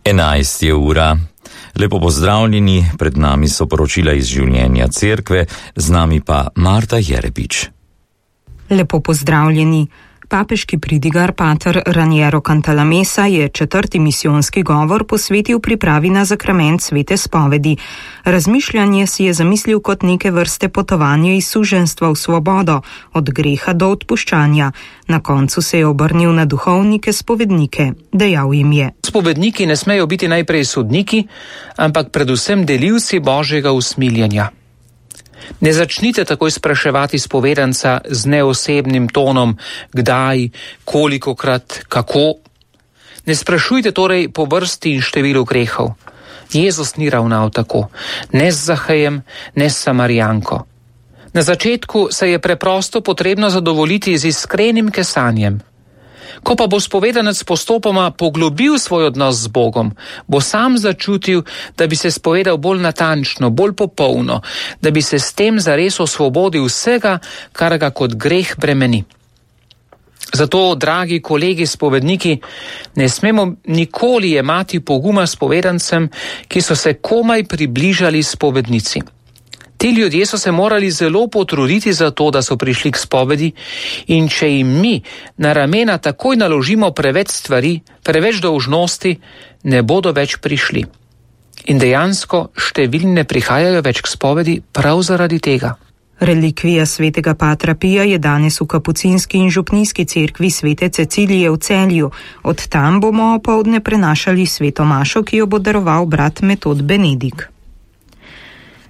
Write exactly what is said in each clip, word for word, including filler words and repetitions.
enajst je ura. Lepo pozdravljeni, pred nami so poročila iz življenja cerkve, z nami pa Marta Jerebič. Lepo pozdravljeni. Papeški pridigar pater Raniero Cantalamessa je četrti misijonski govor posvetil pripravi na zakrament svete spovedi. Razmišljanje si je zamislil kot neke vrste potovanje iz suženjstva v svobodo, od greha do odpuščanja. Na koncu se je obrnil na duhovnike spovednike. Dejal jim je: Spovedniki ne smejo biti najprej sodniki, ampak predvsem delivci Božjega usmiljenja. Ne začnite takoj spraševati spovedanca z neosebnim tonom, kdaj, kolikokrat, kako. Ne sprašujte torej po vrsti in številu grehov. Jezus ni ravnal tako, ne z Zahejem, ne s Samarijanko. Na začetku se je preprosto potrebno zadovoljiti z iskrenim kesanjem. Ko pa bo spovedanec postopoma poglobil svoj odnos z Bogom, bo sam začutil, da bi se spovedal bolj natančno, bolj popolno, da bi se s tem zares osvobodil vsega, kar ga kot greh bremeni. Zato, dragi kolegi spovedniki, ne smemo nikoli jemati poguma spovedancem, ki so se komaj približali spovednici. Ti ljudje so se morali zelo potruditi za to, da so prišli k spovedi, in če jim mi na ramena takoj naložimo preveč stvari, preveč dolžnosti, ne bodo več prišli. In dejansko številni ne prihajajo več k spovedi prav zaradi tega. Relikvija svetega Patra Pija je danes v kapucinski in župnijski cerkvi svete Cecilije v Celju. Od tam bomo opoldne prenašali sveto mašo, ki jo bo daroval brat Metod Benedik.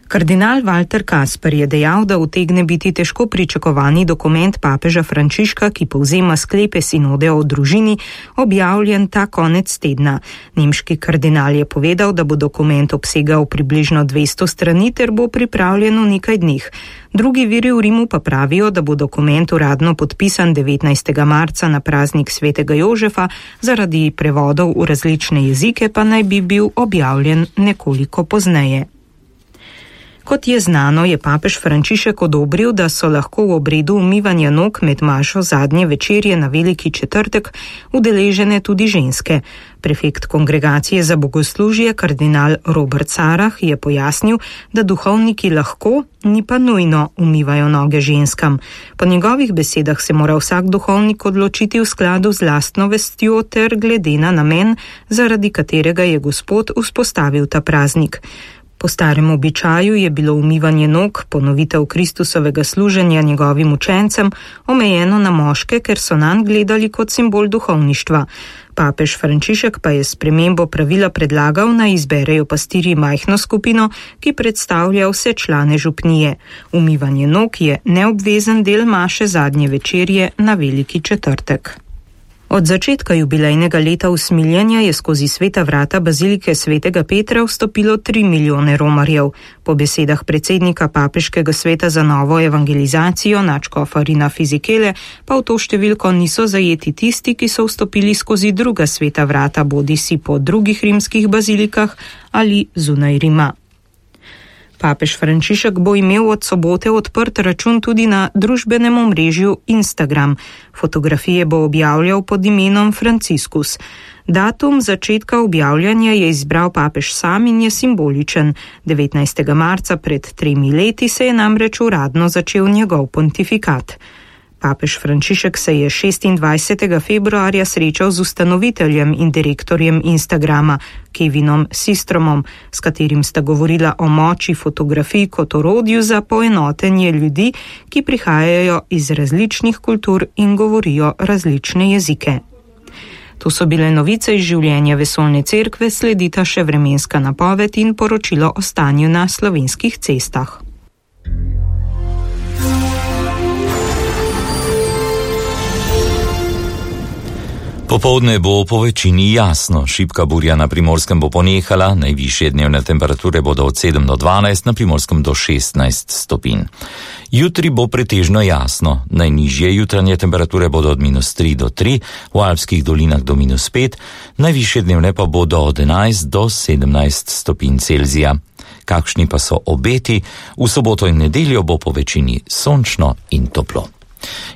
Kardinal Walter Kasper je dejal, da utegne biti težko pričakovani dokument papeža Frančiška, ki povzema sklepe sinode o družini, objavljen ta konec tedna. Nemški kardinal je povedal, da bo dokument obsegal približno dvesto strani ter bo pripravljen v nekaj dneh. Drugi viri v Rimu pa pravijo, da bo dokument uradno podpisan devetnajstega marca na praznik svetega Jožefa, zaradi prevodov v različne jezike pa naj bi bil objavljen nekoliko pozneje. Kot je znano, je papež Frančišek odobril, da so lahko v obredu umivanja nog med mašo zadnje večerje na Veliki četrtek udeležene tudi ženske. Prefekt kongregacije za bogoslužje, kardinal Robert Sarah, je pojasnil, da duhovniki lahko, ni pa nujno, umivajo noge ženskam. Po njegovih besedah se mora vsak duhovnik odločiti v skladu z lastno vestjo ter glede na namen, zaradi katerega je Gospod vzpostavil ta praznik. Po starem običaju je bilo umivanje nog, ponovitev Kristusovega služenja njegovim učencem, omejeno na moške, ker so nanj gledali kot simbol duhovništva. Papež Frančišek pa je spremembo pravila predlagal, naj izberejo pastirji majhno skupino, ki predstavlja vse člane župnije. Umivanje nog je neobvezen del maše zadnje večerje na Veliki četrtek. Od začetka jubilejnega leta usmiljenja je skozi sveta vrata bazilike svetega Petra vstopilo tri milijone romarjev. Po besedah predsednika papeškega sveta za novo evangelizacijo nadškofa Rina Fizikele pa v to številko niso zajeti tisti, ki so vstopili skozi druga sveta vrata, bodisi po drugih rimskih bazilikah ali zunaj Rima. Papež Frančišek bo imel od sobote odprt račun tudi na družbenem omrežju Instagram. Fotografije bo objavljal pod imenom Franciscus. Datum začetka objavljanja je izbral papež sam in je simboličen. devetnajstega marca pred tremi leti se je namreč uradno začel njegov pontifikat. Papež Frančišek se je šestindvajsetega februarja srečal z ustanoviteljem in direktorjem Instagrama, Kevinom Systromom, s katerim sta govorila o moči fotografij kot orodju za poenotenje ljudi, ki prihajajo iz različnih kultur in govorijo različne jezike. To so bile novice iz življenja vesoljne cerkve, sledita še vremenska napoved in poročilo o stanju na slovenskih cestah. Popoldne bo po večini jasno, šibka burja na Primorskem bo ponehala, najvišje dnevne temperature bodo od sedem do dvanajst, na Primorskem do šestnajst stopinj. Jutri bo pretežno jasno, najnižje jutranje temperature bodo od minus tri do tri, v alpskih dolinah do minus pet, najvišje dnevne pa bodo od enajst do sedemnajst stopinj Celzija. Kakšni pa so obeti? V soboto in nedeljo bo po večini sončno in toplo.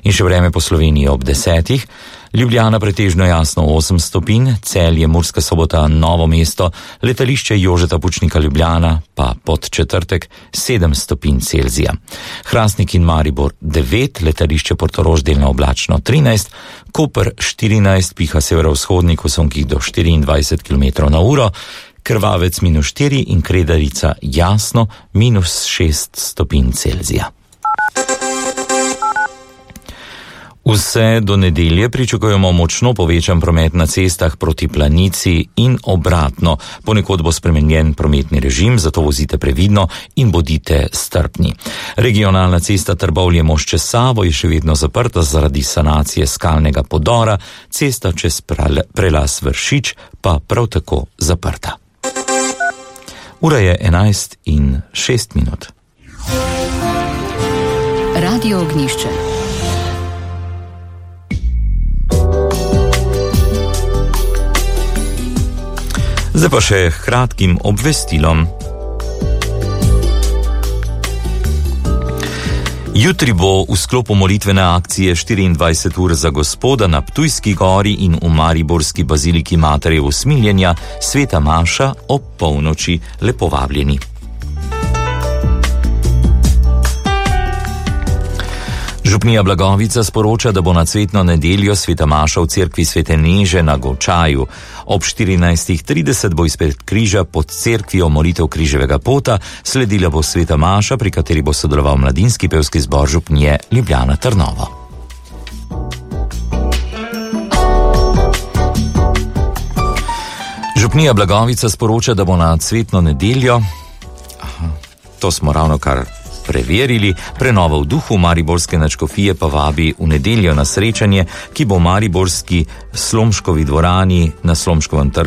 In še vreme po Sloveniji ob desetih. Ljubljana pretežno jasno osem stopinj, Celje, Murska Sobota, Novo mesto, letališče Jožeta Pučnika Ljubljana pa Podčetrtek sedem stopinj Celzija. Hrastnik in Maribor devet, letališče Portorož delno oblačno trinajst, Koper štirinajst, piha severovzhodnik v sonkih do štiriindvajset kilometrov na uro, Krvavec minus štiri in Kredarica jasno minus šest stopinj Celzija. Vse do nedelje pričakujemo močno povečan promet na cestah proti Planici in obratno. Ponekod bo spremenjen prometni režim, zato vozite previdno in bodite strpni. Regionalna cesta Trbovlje-Mošče Savo je še vedno zaprta zaradi sanacije skalnega podora, cesta čez prelaz Vršič pa prav tako zaprta. Ura je enajst in šest minut. Radio Ognjišče. Zdaj pa še kratkim obvestilom. Jutri bo v sklopu molitvene akcije štiriindvajset ur za Gospoda na Ptujski gori in v mariborski baziliki Matere Usmiljenja sveta maša ob polnoči. Lepo vabljeni. Župnija Blagovica sporoča, da bo na cvetno nedeljo sveta maša v cerkvi Svete Neže na Govčaju. Ob štirinajst trideset bo izpred križa pod cerkvijo molitev križevega pota, sledila bo sveta maša, pri kateri bo sodeloval mladinski pevski zbor župnije Ljubljana Trnovo. Župnija Blagovica sporoča, da bo na cvetno nedeljo, aha, to smo ravno kar preverili, prenova v duhu mariborske nadškofije pa vabi v nedeljo na srečanje, ki bo v mariborski Slomškovi dvorani na Slomškovem trgu